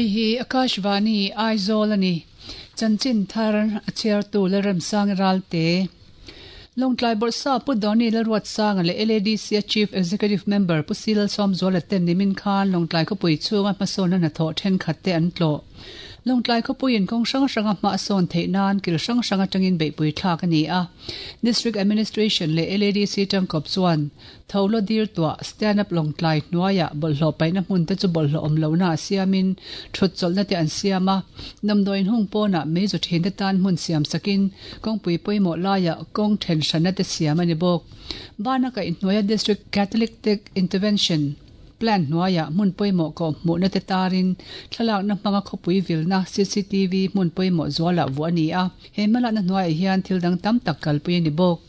Hei hi Akashvani Aizawl a ni. Chanchin thar a chhiartu Lalremsangi Ralte. Lawngtlai Bawrhsap Pu Donny Lalruatsanga leh LADC-a Chief Executive Member Pu Si Lalsawmzuala ten nimin khan Lawngtlai khawpui chhunga hmasawnna hnathawh thenkhat te an tlawh. Lawngtlai khawpuiin kawng hrang hranga hma a sawn theih nan kil hrang hrang atangin beihpui thlak a ni a. District Administration leh LADC tangkawp chuan Tho law dir tuah Stand Up Lawngtlai hnuaiah bawlhhlawh paihna hmun te chu bawlhhlawh awm lohna a siamin thut chawlhna te an siam a. Damdawiin hung pawnah meizu thin te tan hmun siam sakin kawngpui pawimawh laiah kawng then hranna te siam a ni bawk. Bana kaihhnuaia District Catalytic Intervention Plan hnuaiah hmun pawimawh kawh hmuhna te tarin thlalakna hmanga khawpui vilna cctv hmun pawimawh zualah vuah a ni a. He hmalakna hnuaiah hian thil dang tam tak kalpui a ni bawk.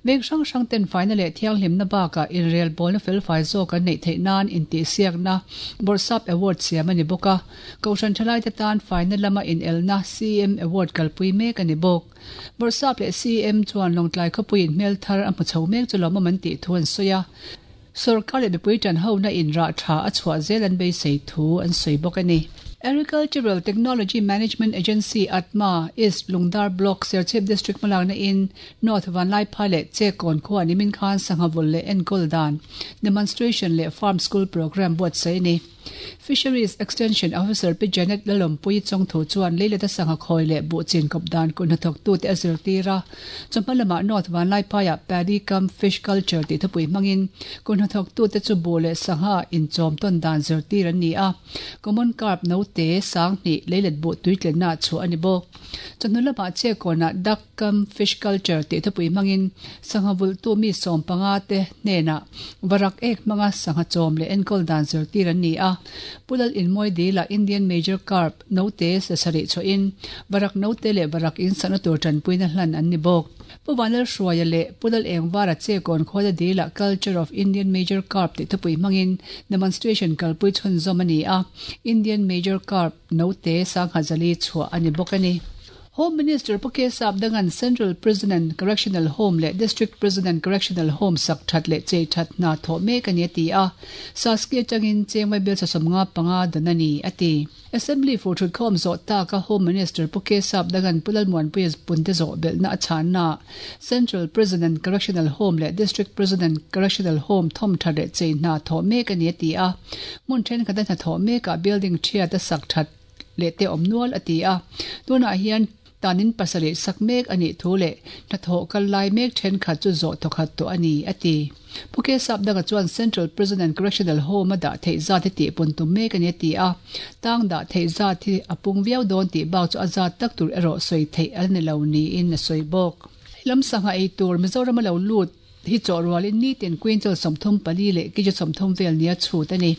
Veng hrang hrang ten faina leh thianghlimna bakah inrelbawlna felfai zawk an neih theih nan intihsiakna Bawrhsap Award siam a ni bawk a. Kohhran thalaite tan faina lama inelna CM Award kalpui mek a ni bawk. Bawrhsap leh CM chuan Lawngtlai khawpuiin hmel thar a hmu chho mek chu lawmawm an tih thu an sawi a. Sorkar leh mipui tanhona in rah tha a chhuah zel an beisei thu an sawi bawk a ni. Agricultural Technology Management Agency, ATMA, East Lungdar Block, Serchhip District hmalakna in North Vanlaiphai leh Chekawn khua nimin khan sangha vul leh enkawl dan demonstration leh farm school programme buatsaih a ni. Fisheries Extension Officer Pi Janet Lalawmpuii Chawngthu chuan leileta sangha khawi leh buh chin kawp dan kut hnathawktute a zirtir a. Chawhma lamah North Vanlaiphaiah Paddy cum Fish Culture tih thupui hmangin kut hnathawktute chu buh leh sangha inchawm tawn dan zirtir an ni a. Common Carp note sanghnih leilet buh tuitlenna chhuah a ni bawk. Chawhnu lamah Chekawnah Duck cum Fish Culture tih thupui hmangin sangha vulhtu mi 15 te hnenah varak ek hmanga sangha chawm leh enkawl dan zirtir an ni a. Pu Lal Inmawi Dila Indian Major Carp note sasarih chhuahin varak note leh varak in sakna tur tanpuina hlan an ni bawk. Pu Vanlalhruaia leh Pu Lal Engvara Chekawn Khawla Dila Culture of Indian Major Carp tih thupui hmangin demonstration kalpui chhunzawm a ni a, Indian Major Carp note sangha zali chhuah a ni bawk a ni. Home Minister Pu Kesap Dangan Central Prison and Correctional Home leh District Prison and Correctional Home sak that leh chei that hna thawh mek a ni a ti a, Saski atangin Chengmai bill 75 dan a ni a ti. Assembly fur thutkhawm zawh taka Home Minister Pu Kesap Dangan Pu Lalmuanpuia punte zawh belhna a chhanna Central Prison and Correctional Home leh District Prison and Correctional Home thawm that leh chei hna thawh mek a ni a ti a, hmun thenkhat a hnathawh mekah building thiat a sak that leh te awm nual a ti a. Tunah hian tanin pasarih sak mek a nih thu leh hnathawh kal lai mek thenkhat chu zawh thawkhat tawh a ni, a ti. Pu Kesap Danga chuan Central Prison and Correctional Home a dah theih zat hi tihpun tum mek a ni a ti a. Tang dah theih zat hi a pung viau dawn tih bak chu a zat tak tur erawh sawi theih a la ni lo niin a sawi bawk. Lam sangha ei tur Mizoram a lo lut. Hi chawh rualin nitin quintal 34 leh kg 30 vel nia chhut a ni.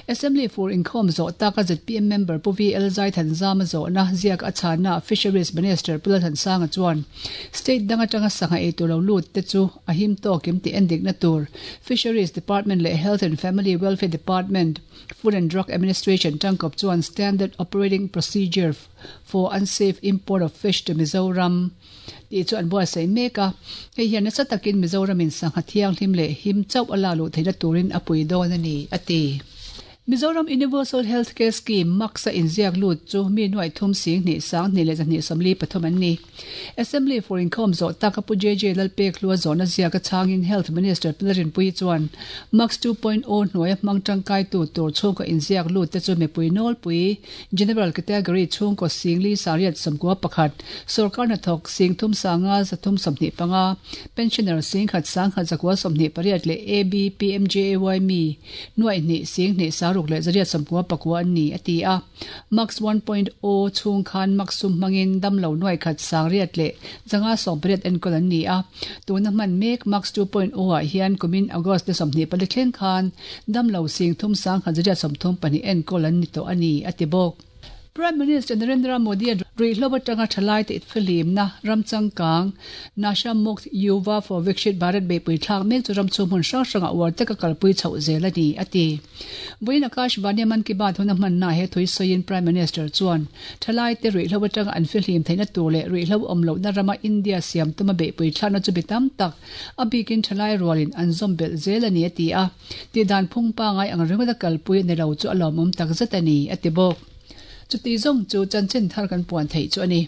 Assembly fur inkhawm zawh taka zpm member Pu VL Zaithanzama zawhna ziak a chhanna Fisheries Minister Pu Lalthansanga chuan state dang atanga sangha ei tur lo lut te chu a him tawk em tih endikna tur Fisheries Department leh Health and Family Welfare Department, Food and Drug Administration tangkawp chuan Standard Operating Procedure for Unsafe Import of Fish to Mizoram tih chu an buatsaih mek a, hei hian nasa takin Mizoramin sangha thianghlim leh him chauh a lak luh theihna turin a pui dawn a ni, a ti. Mizoram Universal Health Care Scheme, MACS, a inziak lut chu mi nuaih thum 2,000 2 leh 243 an ni. Assembly fur inkhawm zawh taka Pu JJ Lalpekhlua zawhna ziak a chhangin Health Minister Pi Lalrinpuii chuan MACS 2.0 hnuaia hmang tangkaitu tur chhungkaw inziak lut te chu mipui nawlpui General Category chhungkaw 4,000 691, Sorkar hnathawk 3 5 325, Pensioner 1,000 1,128 leh AB, PMJAY mi nuaih hnih 2,000 saruk leh 899 an ni, a ti a. Max 1.0 chhung khan Max sum hmangin damlo nuaih khat 800 leh 580 enkawl an ni a. Tuna hman mek Max 2.0 ah hian kumin August ni 24 thleng khan Damlo 3,000 134 enkawl an ni tawh a ni, a ti bawk. Prime Minister Narendra Modi-a ruihhlo atanga thalaite fihlimna ram changkang Nasha Mukt Yuva for Vikshit Bharat beihpui thlak mek chu ram chhung hmun hrang hrangah uar taka kalpui chhoh zel a ni, a ti. Vawiin Akashvani Mann Ki Baat huna hmanna he thui sawiin Prime Minister chuan thalaite ruihhlo atanga an fihlim theihna tur leh ruihhlo awm lohna rama India siam tuma beihpui thlakna chu bi tam tak a bikin thalai rualin an zawm belh zel a ni, a ti a. Tihdan phung pangai ang ringawt a kalpui a ni lo chu a lawmawm takzet a ni, a ti bawk. Chuti zawng chu chanchin thar kan puan theih chu a ni.